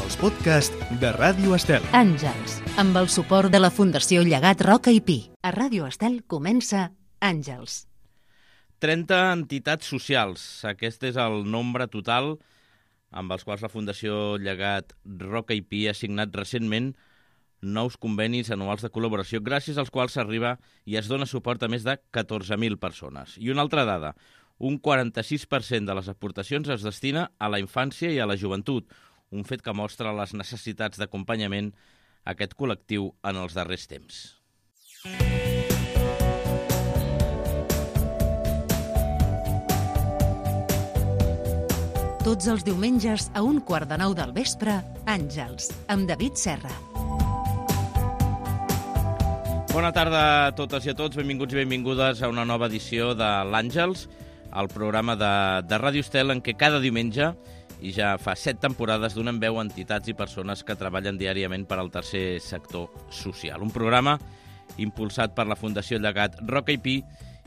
els podcasts de Ràdio Estel. Àngels, amb el suport de la Fundació Llegat Roca i Pi. A Ràdio Estel comença Àngels. 30 entitats socials. Aquest és el nombre total amb els quals la Fundació Llegat Roca i Pi ha signat recentment nous convenis anuals de col·laboració, gràcies als quals s'arriba i es dona suport a més de 14.000 persones. I una altra dada, un 46% de les aportacions es destina a la infància i a la joventut, un fet que mostra les necessitats d'acompanyament a aquest col·lectiu en els darrers temps. Tots els diumenges a 8:45 del vespre, Àngels, amb David Serra. Bona tarda a totes i a tots, benvinguts i benvingudes a una nova edició de l'Àngels, el programa de Ràdio Estel en què cada diumenge, i ja fa 7 temporades, donem veu a entitats i persones que treballen diàriament per al tercer sector social. Un programa impulsat per la Fundació Llegat Roca i Pi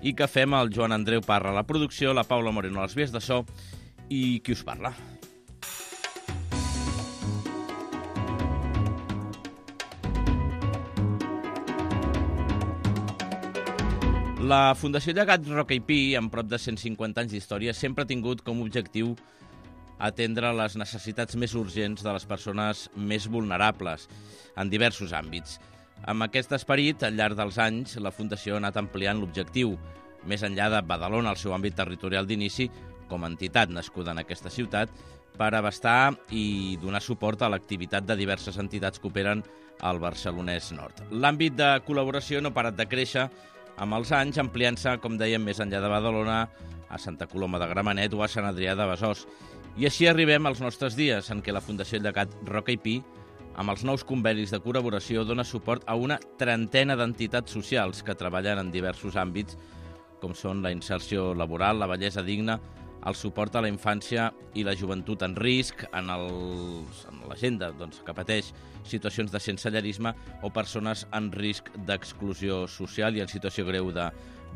i que fem el Joan Andreu Parra a la producció, la Paula Moreno a les vies de so i qui us parla. La Fundació Llegat Roca i Pi, amb prop de 150 anys d'història, sempre ha tingut com a objectiu atendre les necessitats més urgents de les persones més vulnerables en diversos àmbits. Amb aquest esperit, al llarg dels anys, la Fundació ha anat ampliant l'objectiu, més enllà de Badalona, el seu àmbit territorial d'inici, com a entitat nascuda en aquesta ciutat, per abastar i donar suport a l'activitat de diverses entitats que operen al Barcelonès Nord. L'àmbit de col·laboració no ha parat de créixer amb els anys, ampliant-se, com dèiem, més enllà de Badalona, a Santa Coloma de Gramenet o a Sant Adrià de Besòs. I així arribem als nostres dies, en què la Fundació Llegat Roca i Pi, amb els nous convenis de col·laboració, dona suport a una trentena d'entitats socials que treballen en diversos àmbits, com són la inserció laboral, la bellesa digna, el suport a la infància i la joventut en risc, en la gent que pateix situacions de sensellarisme o persones en risc d'exclusió social i en situació greu de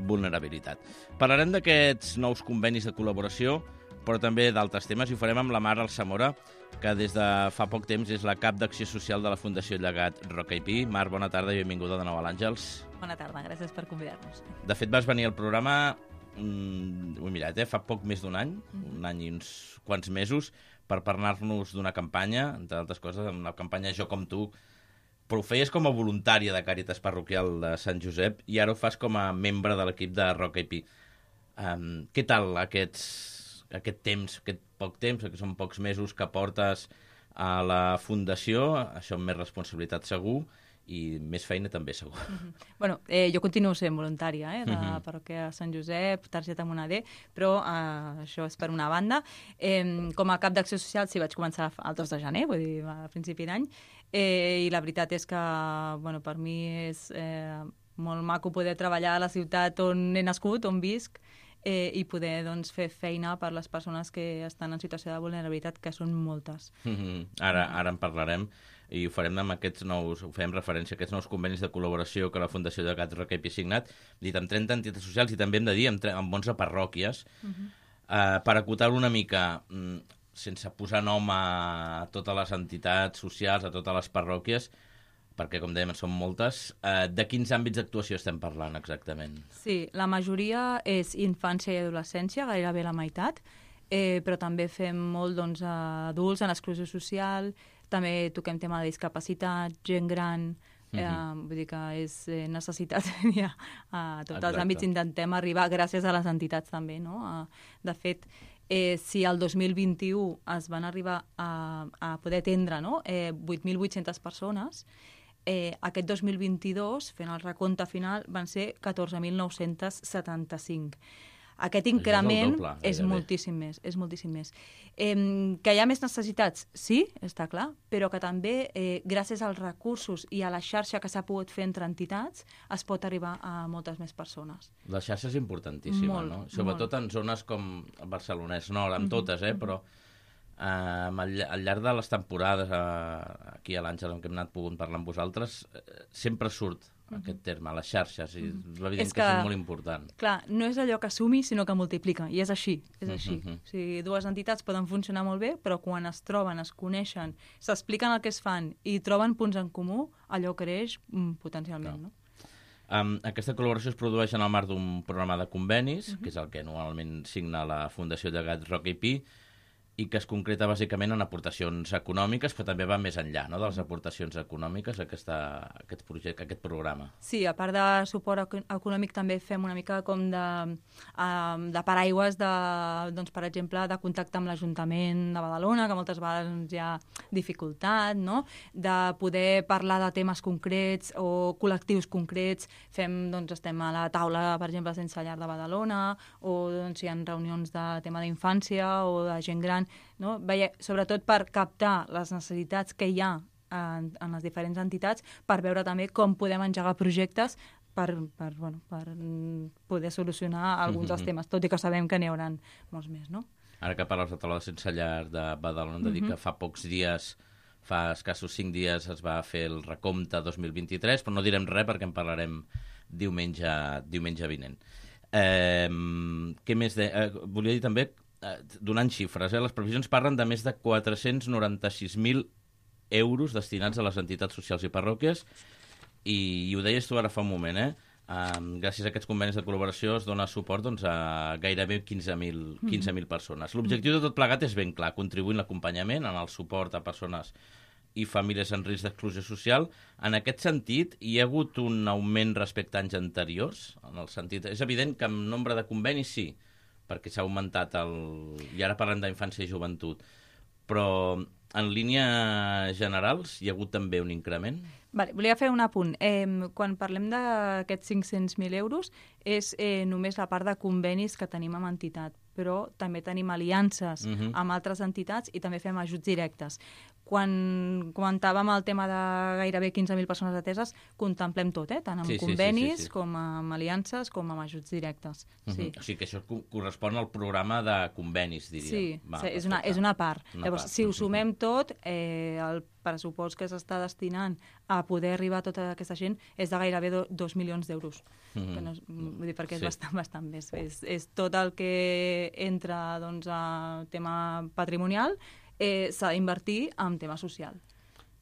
vulnerabilitat. Parlarem d'aquests nous convenis de col·laboració, però també d'altres temes, i ho farem amb la Mar Alsamora, que des de fa poc temps és la cap d'Acció Social de la Fundació Llegat Roca i Pi. Mar, bona tarda i benvinguda de nou a l'Àngels. Bona tarda, gràcies per convidar-nos. De fet, vas venir al programa, ho he mirat, fa poc més d'un any, un any i uns quants mesos, per parlar-nos d'una campanya, entre altres coses, una campanya Jo com tu, però ho feies com a voluntària de Càritas Parroquial de Sant Josep i ara ho fas com a membre de l'equip de Roca i Pi. Què tal aquest temps, aquest poc temps, que són pocs mesos que portes a la Fundació, això amb més responsabilitat segur, i més feina també segur. Bueno, jo continuo sent voluntària de la parròquia de Sant Josep, targeta Moneder, però això és per una banda. Com a cap d'Acció Social sí vaig començar el 2 de gener, vull dir, a principi d'any, i la veritat és que per mi és molt maco poder treballar a la ciutat on he nascut, on visc, i poder fer feina per les persones que estan en situació de vulnerabilitat, que són moltes. Ara en parlarem. I ho farem amb aquests nous, ho fem referència a aquests nous convenis de col·laboració que la Fundació Llegat Roca i Pi ha signat, dit amb 30 entitats socials i també hem de dir amb 11 parròquies, per acotar una mica, sense posar nom a totes les entitats socials, a totes les parròquies, perquè, com dèiem, són moltes, de quins àmbits d'actuació estem parlant exactament? Sí, la majoria és infància i adolescència, gairebé la meitat, però també fem molt adults en exclusió social, també toquem tema de discapacitat, gent gran, vull dir que és necessitat a tots els àmbits. Intentem arribar, gràcies a les entitats també, no? De fet, si el 2021 es van arribar a poder atendre 8.800 persones, aquest 2022, fent el recompte final, van ser 14.975. Aquest increment és moltíssim més. Que hi ha més necessitats, sí, està clar, però que també, gràcies als recursos i a la xarxa que s'ha pogut fer entre entitats, es pot arribar a moltes més persones. La xarxa és importantíssima, no? Sobretot en zones com el Barcelonès Nord, amb totes, però al llarg de les temporades aquí a l'Àngel, en què hem anat pogut parlar amb vosaltres, sempre surt aquest terme, les xarxes, i evident És que això és molt important. Clar, no és allò que sumi, sinó que multiplica, i és així, és així. O sigui, dues entitats poden funcionar molt bé, però quan es troben, es coneixen, s'expliquen el que es fan i troben punts en comú, allò creix potencialment, no? Aquesta col·laboració es produeix en el marc d'un programa de convenis, que és el que anualment signa la Fundació Llegat Roca i Pi, i que es concreta bàsicament en aportacions econòmiques, però també va més enllà, no?, de les aportacions econòmiques aquest projecte, aquest programa. Sí, a part de suport econòmic també fem una mica com de paraigües, doncs, per exemple, de contacte amb l'Ajuntament de Badalona, que moltes vegades hi ha dificultat, no?, de poder parlar de temes concrets o col·lectius concrets. Estem a la taula, per exemple, Sense Llar de Badalona, o doncs, hi ha reunions de tema d'infància o de gent gran, no? Sobretot per captar les necessitats que hi ha en les diferents entitats, per veure també com podem engegar projectes per poder solucionar alguns dels temes, tot i que sabem que n'hi haurà molts més, no? Ara que parles de taula Sense Llar de Badalona, hem de dir que fa pocs dies, fa escassos 5 dies, es va fer el recompte 2023, però no direm res perquè en parlarem diumenge vinent. Què més? Volia dir també, donant xifres, les previsions parlen de més de 496.000 euros destinats a les entitats socials i parròquies, i ho deies tu ara fa un moment, gràcies a aquests convenis de col·laboració es dona suport a gairebé 15.000 persones. L'objectiu de tot plegat és ben clar, contribuir en l'acompanyament, en el suport a persones i famílies en risc d'exclusió social. En aquest sentit, hi ha hagut un augment respecte a anys anteriors? En el sentit, és evident que en nombre de convenis sí, perquè s'ha augmentat i ara parlem d'infància i joventut, però en línies generals hi ha hagut també un increment? Vale, volia fer un apunt. Quan parlem d'aquests 500.000 euros és només la part de convenis que tenim amb entitat, però també tenim aliances amb altres entitats i també fem ajuts directes. Quan comentàvem el tema de gairebé 15.000 persones ateses, contemplem tot, tant amb convenis com amb aliances com amb ajuts directes. Sí. O sigui que això correspon al programa de convenis, diríem. Sí, és una part. Llavors, si ho sumem tot, el pressupost que s'està destinant a poder arribar a tota aquesta gent és de gairebé 2 milions d'euros. Perquè és bastant més. És tot el que entra a tema patrimonial, s'ha d'invertir en tema social.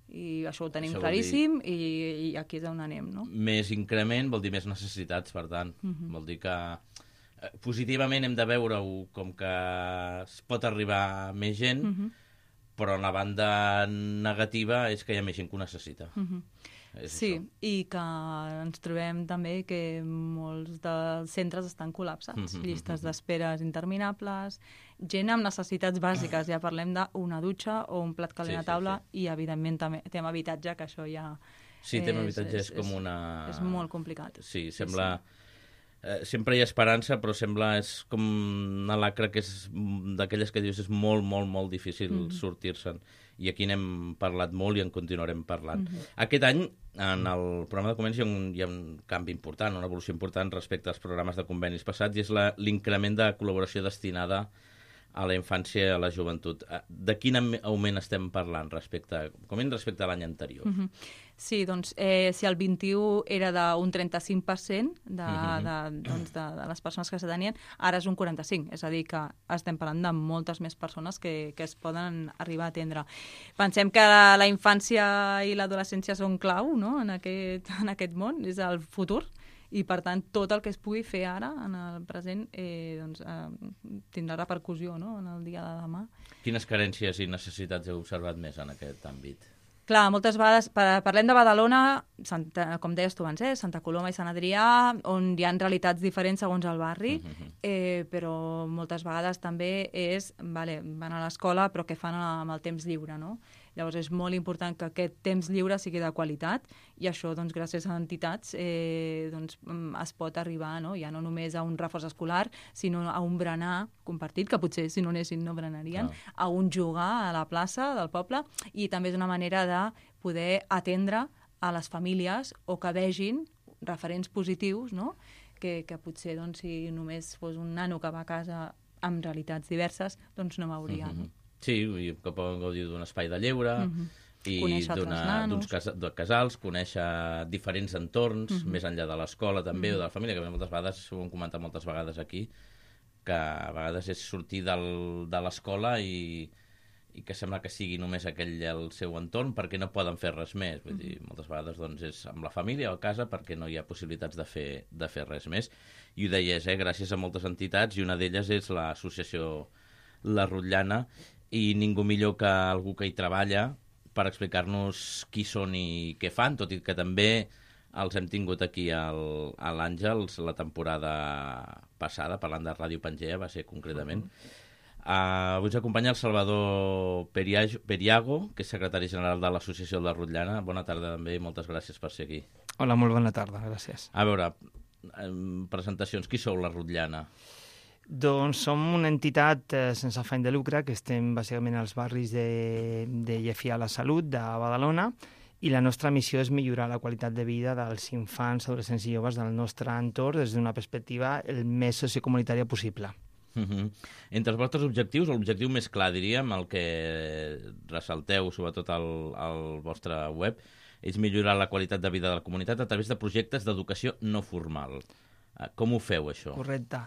I això ho tenim claríssim i aquí és on anem, no? Més increment vol dir més necessitats, per tant. Vol dir que positivament hem de veure-ho com que es pot arribar a més gent, però en la banda negativa és que hi ha més gent que ho necessita. Sí, i que ens trobem també que molts dels centres estan col·lapsats, llistes d'esperes interminables, gent amb necessitats bàsiques, ja parlem d'una dutxa o un plat calent a taula, i evidentment també tema habitatge, que això ja... Sí, tema habitatge és com una... És molt complicat. Sí, sembla... Sempre hi ha esperança, però sembla és com una lacra que és d'aquelles que dius és molt, molt, molt difícil sortir-se'n. I aquí n'hem parlat molt i en continuarem parlant. Aquest any, en el programa de convenis, hi ha un canvi important, una evolució important respecte als programes de convenis passats, i és l'increment de col·laboració destinada a la infància i a la joventut. De quin augment estem parlant respecte a l'any anterior? Sí, doncs, si el 21 era d'un 35% de les persones que s'atenien, ara és un 45%. És a dir, que estem parlant de moltes més persones que es poden arribar a atendre. Pensem que la infància i l'adolescència són clau, no?, en aquest món, és el futur. I, per tant, tot el que es pugui fer ara, en el present, tindrà repercussió, no?, en el dia de demà. Quines carències i necessitats heu observat més en aquest àmbit? Clar, moltes vegades, parlem de Badalona, com deies tu abans, Santa Coloma i Sant Adrià, on hi ha realitats diferents segons el barri, però moltes vegades també van a l'escola, però què fan amb el temps lliure, no? Llavors és molt important que aquest temps lliure sigui de qualitat, i això, doncs, gràcies a entitats, es pot arribar, no?, ja no només a un reforç escolar, sinó a un berenar compartit, que potser si no anessin no berenarien, a un jugar a la plaça del poble, i també és una manera de poder atendre a les famílies o que vegin referents positius, no?, que potser, doncs, si només fos un nano que va a casa amb realitats diverses, doncs no veuria, no? Sí, que poden gaudir d'un espai de lleure, i Conèixer altres nanos. de casals, conèixer diferents entorns, més enllà de l'escola també, o de la família, que moltes vegades, ho hem comentat moltes vegades aquí, que a vegades és sortir de l'escola i que sembla que sigui només aquell el seu entorn perquè no poden fer res més. Vull dir, moltes vegades doncs, és amb la família o a casa perquè no hi ha possibilitats de fer res més. I ho deies, gràcies a moltes entitats, i una d'elles és l'associació La Rotllana, i ningú millor que algú que hi treballa per explicar-nos qui són i què fan, tot i que també els hem tingut aquí a l'Àngels la temporada passada, parlant de Ràdio Pangea, va ser concretament. Avui ens acompanya el Salvador Periago, que és secretari general de l'Associació de La Rotllana. Bona tarda també i moltes gràcies per ser aquí. Hola, molt bona tarda, gràcies. A veure, presentacions, qui sou La Rotllana? Doncs som una entitat sense afany de lucre, que estem bàsicament als barris de Llefià a la Salut, de Badalona, i la nostra missió és millorar la qualitat de vida dels infants, adolescents i joves del nostre entorn des d'una perspectiva el més sociocomunitària possible. Entre els vostres objectius, l'objectiu més clar, diríem, el que ressalteu sobretot al vostre web, és millorar la qualitat de vida de la comunitat a través de projectes d'educació no formal. Com ho feu, això? Correcte.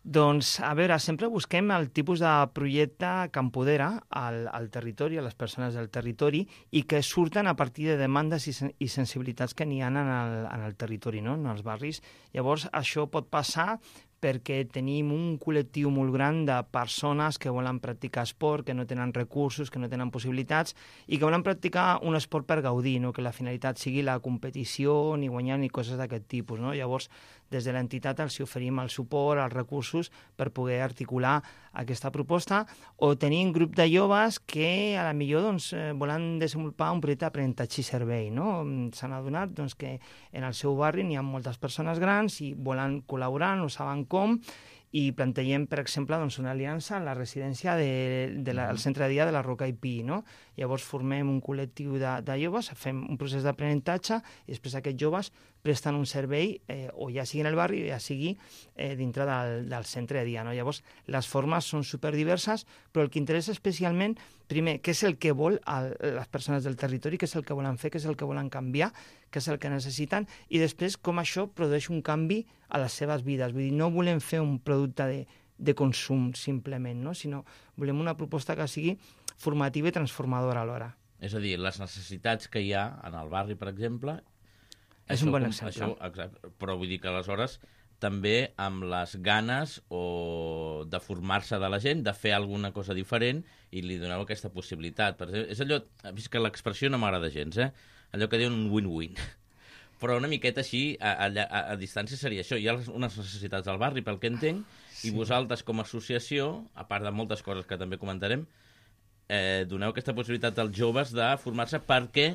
Doncs, a veure, sempre busquem el tipus de projecte que empodera al territori, a les persones del territori, i que surten a partir de demandes i sensibilitats que n'hi ha en el territori, no? En els barris. Llavors, això pot passar perquè tenim un col·lectiu molt gran de persones que volen practicar esport, que no tenen recursos, que no tenen possibilitats, i que volen practicar un esport per gaudir, no? Que la finalitat sigui la competició, ni guanyar, ni coses d'aquest tipus, no? Llavors, des de l'entitat els oferim el suport, els recursos per poder articular aquesta proposta, o tenir un grup de joves que a la millor doncs, volen desenvolupar un projecte d'aprenentatge i servei. No? S'han adonat doncs, que en el seu barri n'hi ha moltes persones grans i volen col·laborar, no saben com, i plantegem, per exemple, doncs, una aliança en la residència del centre de dia de la Roca i Pi. No? Llavors formem un col·lectiu de joves, fem un procés d'aprenentatge i després aquests joves presten un servei o ja sigui en el barri o ja sigui dintre del centre de dia. No? Llavors, les formes són superdiverses, però el que interessa especialment, primer, què és el que vol les persones del territori, què és el que volen fer, què és el que volen canviar, què és el que necessiten, i després com això produeix un canvi a les seves vides. Vull dir, no volem fer un producte de consum simplement, no? Sinó volem una proposta que sigui formativa i transformadora alhora. És a dir, les necessitats que hi ha en el barri, per exemple... És un bon exemple. Exacte, però vull dir que aleshores també amb les ganes de formar-se de la gent, de fer alguna cosa diferent, i li doneu aquesta possibilitat. Per exemple, és allò, vist que l'expressió no m'agrada gens, allò que diuen un win-win. Però una miqueta així, a distància seria això. Hi ha unes necessitats al barri, pel que entenc, sí. I vosaltres com a associació, a part de moltes coses que també comentarem, doneu aquesta possibilitat als joves de formar-se perquè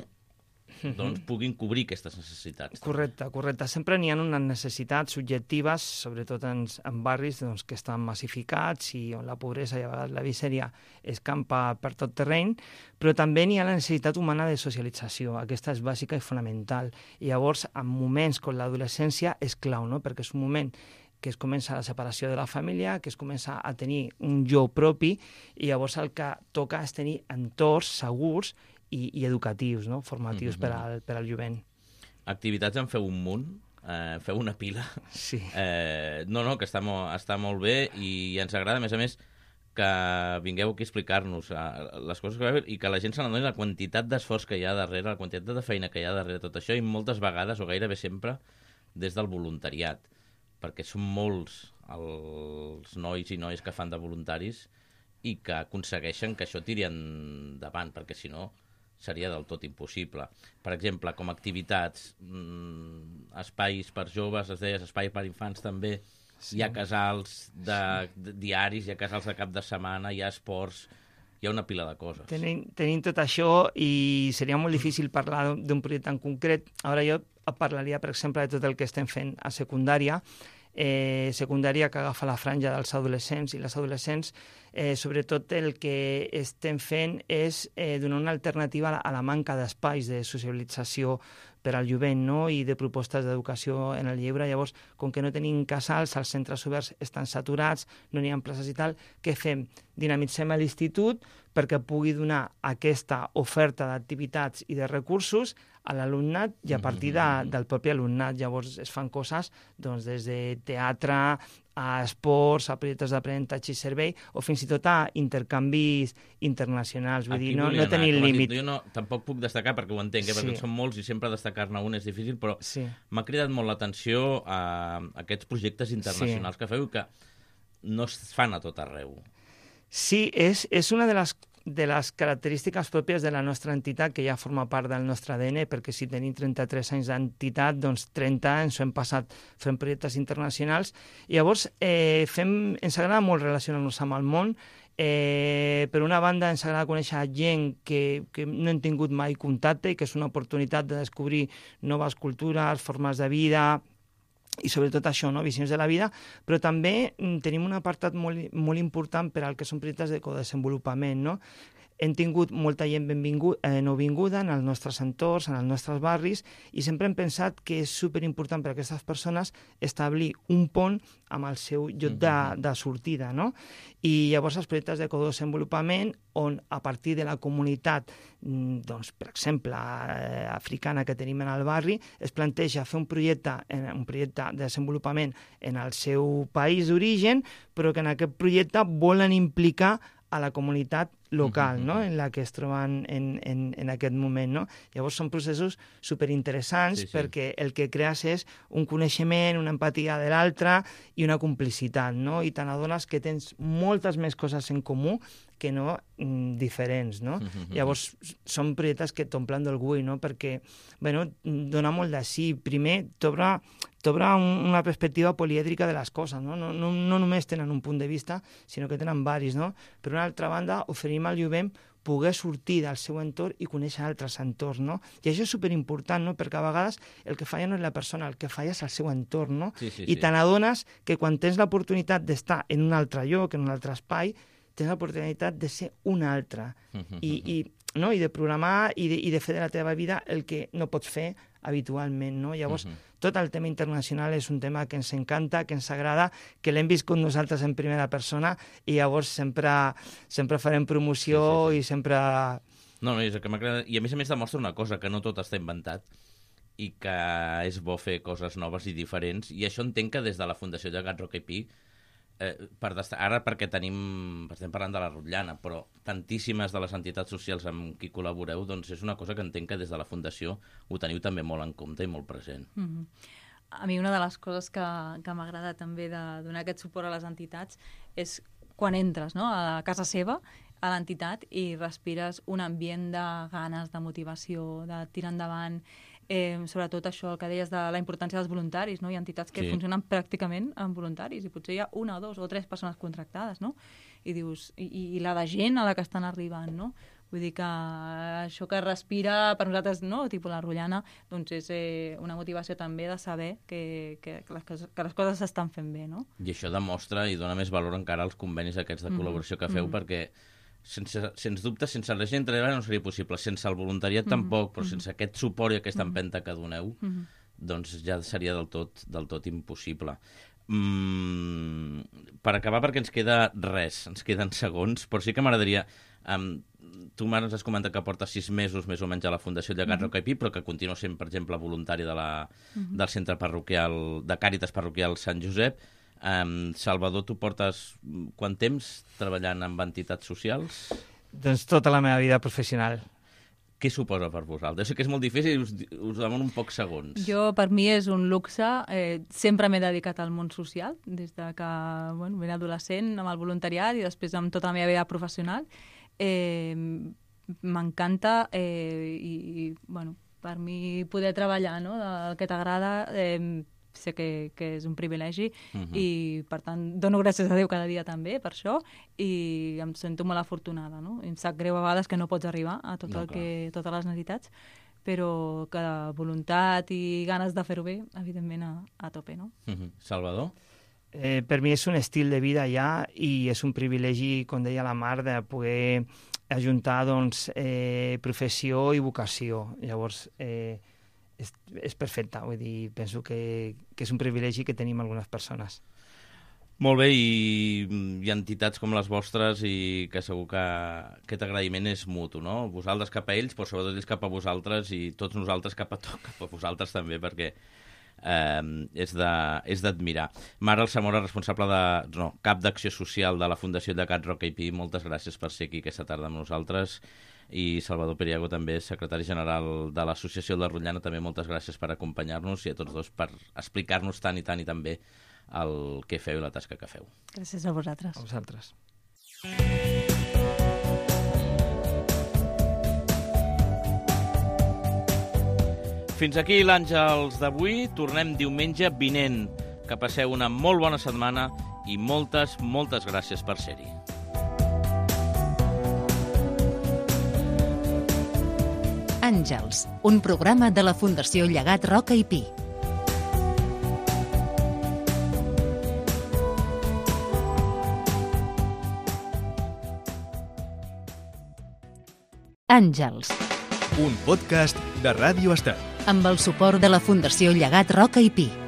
doncs puguin cobrir aquestes necessitats. Correcte. Sempre n'hi ha unes necessitats subjectives, sobretot en barris doncs, que estan massificats i on la pobresa i a vegades la misèria escampa per tot terreny, però també n'hi ha la necessitat humana de socialització. Aquesta és bàsica i fonamental. I llavors, en moments com l'adolescència, és clau, no? Perquè és un moment que es comença la separació de la família, que es comença a tenir un jo propi, i llavors el que toca és tenir entorns segurs i educatius, no? Formatius per al jovent. Activitats en feu un munt, feu una pila. Sí. Que està molt bé i ens agrada, a més, que vingueu aquí a explicar-nos les coses que va haver i que la gent se n'adoni la quantitat d'esforç que hi ha darrere, la quantitat de feina que hi ha darrere tot això, i moltes vegades, o gairebé sempre, des del voluntariat, perquè són molts els nois i noies que fan de voluntaris i que aconsegueixen que això tiri endavant, perquè si no seria del tot impossible. Per exemple, com a activitats, espais per joves, es deia, espais per infants també, sí. Hi ha casals de diaris, hi ha casals de cap de setmana, hi ha esports, hi ha una pila de coses. Tenim tot això i seria molt difícil parlar d'un projecte en concret. Ara jo parlaria, per exemple, de tot el que estem fent a secundària, secundària que agafa la franja dels adolescents, i les adolescents Sobretot el que estem fent és donar una alternativa a la manca d'espais de socialització per al jovent, no? I de propostes d'educació en el lleure. Llavors, com que no tenim casals, els centres oberts estan saturats, no n'hi ha places i tal, què fem? Dinamitzem l'institut perquè pugui donar aquesta oferta d'activitats i de recursos a l'alumnat i a partir del propi alumnat. Llavors es fan coses doncs, des de teatre, a esports, a projectes d'aprenentatge i servei, o fins i tot a intercanvis internacionals. Vull dir, no tenim límit. Jo tampoc puc destacar, perquè ho entenc, perquè són molts i sempre destacar-ne un és difícil, però m'ha cridat molt l'atenció a aquests projectes internacionals que feu i que no es fan a tot arreu. Sí, és una de les característiques pròpies de la nostra entitat, que ja forma part del nostre ADN, perquè si tenim 33 anys d'entitat, doncs 30 ens ho hem passat fent projectes internacionals. I llavors ens agrada molt relacionar-nos amb el món. Per una banda, ens agrada conèixer gent que no hem tingut mai contacte i que és una oportunitat de descobrir noves cultures, formes de vida, i sobretot això, no? Visions de la vida, però també tenim un apartat molt important per al que són projectes de codesenvolupament, no? Hem tingut molta gent nouvinguda en els nostres entorns, en els nostres barris, i sempre hem pensat que és superimportant per a aquestes persones establir un pont amb el seu lloc de sortida, no? I llavors els projectes de codesenvolupament, on a partir de la comunitat, doncs, per exemple, africana que tenim en el barri, es planteja fer un projecte de desenvolupament en el seu país d'origen, però que en aquest projecte volen implicar a la comunitat local, no? En la que es troben en aquest moment, no? Llavors són processos superinteressants perquè el que crees és un coneixement, una empatia de l'altre i una complicitat, no? I te n'adones que tens moltes més coses en comú que no diferents, no? Llavors són projectes que t'omplen d'orgull, no? Perquè, bueno, dona molt de sí. Primer, t'obre una perspectiva polièdrica de les coses, no? No només tenen un punt de vista, sinó que tenen varis, no? Per una altra banda, oferim al jovent poder sortir del seu entorn i conèixer altres entorns, no? I això és superimportant, no? Perquè a vegades el que falla no és la persona, el que falla és el seu entorn, no? I te n'adones que quan tens l'oportunitat d'estar en un altre lloc, en un altre espai, tens l'oportunitat de ser un altre i de programar i de fer de la teva vida el que no pots fer habitualment, no? Llavors, tot el tema internacional és un tema que ens encanta, que ens agrada, que l'hem viscut nosaltres en primera persona i llavors sempre farem promoció i sempre... No, és el que m'agrada. I a més demostra una cosa, que no tot està inventat i que és bo fer coses noves i diferents. I això entenc que des de la Fundació Llegat Roca i Pi, ara perquè estem parlant de la Rotllana, però tantíssimes de les entitats socials amb qui col·laboreu, doncs és una cosa que entenc que des de la Fundació ho teniu també molt en compte i molt present. A mi una de les coses que m'agrada també de donar aquest suport a les entitats és quan entres, no?, a casa seva, a l'entitat, i respires un ambient de ganes, de motivació, de tirar endavant, sobretot això que deies de la importància dels voluntaris, no? Hi ha entitats que funcionen pràcticament amb voluntaris i potser hi ha una, dos o tres persones contractades, no? I dius, i la de gent a la que estan arribant, no? Vull dir que això que respira per nosaltres, no?, tipus la Rotllana, doncs és una motivació també de saber que les coses s'estan fent bé, no? I això demostra i dona més valor encara als convenis aquests de col·laboració que feu, perquè sens dubte, sense la gent treballar no seria possible, sense el voluntariat tampoc, però sense aquest suport i aquesta empenta que doneu, doncs ja seria del tot impossible. Per acabar, perquè ens queden segons, però sí que m'agradaria... Tu, Mar, ens has comentat que porta 6 mesos més o menys a la Fundació Llegat Roca i Pi, però que continua sent, per exemple, voluntari del centre parroquial, de Càritas Parroquial Sant Josep. Salvador, tu portes quant temps treballant amb entitats socials? Doncs tota la meva vida professional. Què suposa per vosaltres? Jo sé que és molt difícil i us demano un poc segons. Per mi és un luxe. Sempre m'he dedicat al món social, des de que era adolescent, amb el voluntariat i després amb tota la meva vida professional. M'encanta i per mi poder treballar, no?, del que t'agrada, sé que és un privilegi i, per tant, dono gràcies a Déu cada dia també per això i em sento molt afortunada, no? Em sap greu a vegades que no pots arribar a totes les necessitats, però que voluntat i ganes de fer-ho bé, evidentment, a tope, no? Salvador? Per mi és un estil de vida ja i és un privilegi, com deia la Mar, de poder ajuntar doncs, professió i vocació. Llavors, és perfecte. Vull dir, penso que és un privilegi que tenim algunes persones. Molt bé, i hi ha entitats com les vostres i que segur que aquest agraïment és mutu, no? Vosaltres cap a ells, però sobretot ells cap a vosaltres i tots nosaltres cap a vosaltres també, perquè és d'admirar. Mar Alsamora, responsable cap d'acció social de la Fundació Llegat Roca i Pi, moltes gràcies per ser aquí aquesta tarda amb nosaltres, i Salvador Periago, també secretari general de l'Associació de la Rotllana, també moltes gràcies per acompanyar-nos i a tots dos per explicar-nos tant i tant i tan bé el que feu i la tasca que feu. Gràcies a vosaltres. A vosaltres. Fins aquí l'Àngels d'avui. Tornem diumenge vinent. Que passeu una molt bona setmana i moltes, moltes gràcies per ser-hi. Àngels, un programa de la Fundació Llegat Roca i Pi. Àngels, un podcast de Ràdio Estel. amb el suport de la Fundació Llegat Roca i Pi.